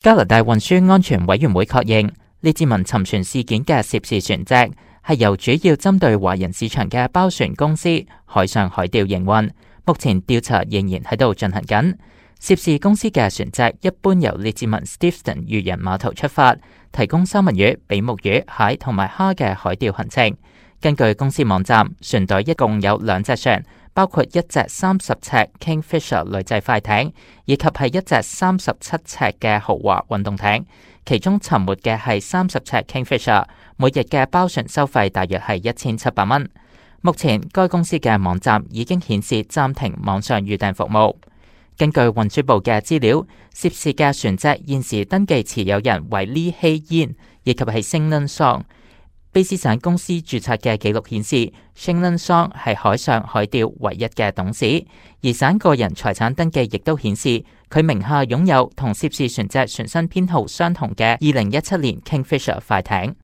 加拿大運輸安全委員會確認，列治文沉船事件嘅涉事船隻係由主要針對華人市場嘅包船公司海上海調營運，目前調查仍然喺度進行緊。涉事公司嘅船隻一般由列治文 Steveston 漁人碼頭出發，提供三文魚、比目魚、蟹同埋蝦嘅海釣行程。根據公司網站，船隊一共有2隻船，包括一隻30尺 Kingfisher 女仔快艇，以及係一隻37尺嘅豪華運動艇。其中沉沒嘅係30尺 Kingfisher， 每日嘅包船收費大約係1700蚊。目前該公司嘅網站已經顯示暫停網上預訂服務。根據運輸部嘅資料，涉事嘅船隻現時登記持有人為李希嫣，以及係 Shingnan Song。卑詩省公司註冊嘅記錄顯示 Shingnan Song 係海上海釣唯一嘅董事，而省個人財產登記亦都顯示佢名下擁有同涉事船隻船身編號相同嘅2017年 Kingfisher 快艇。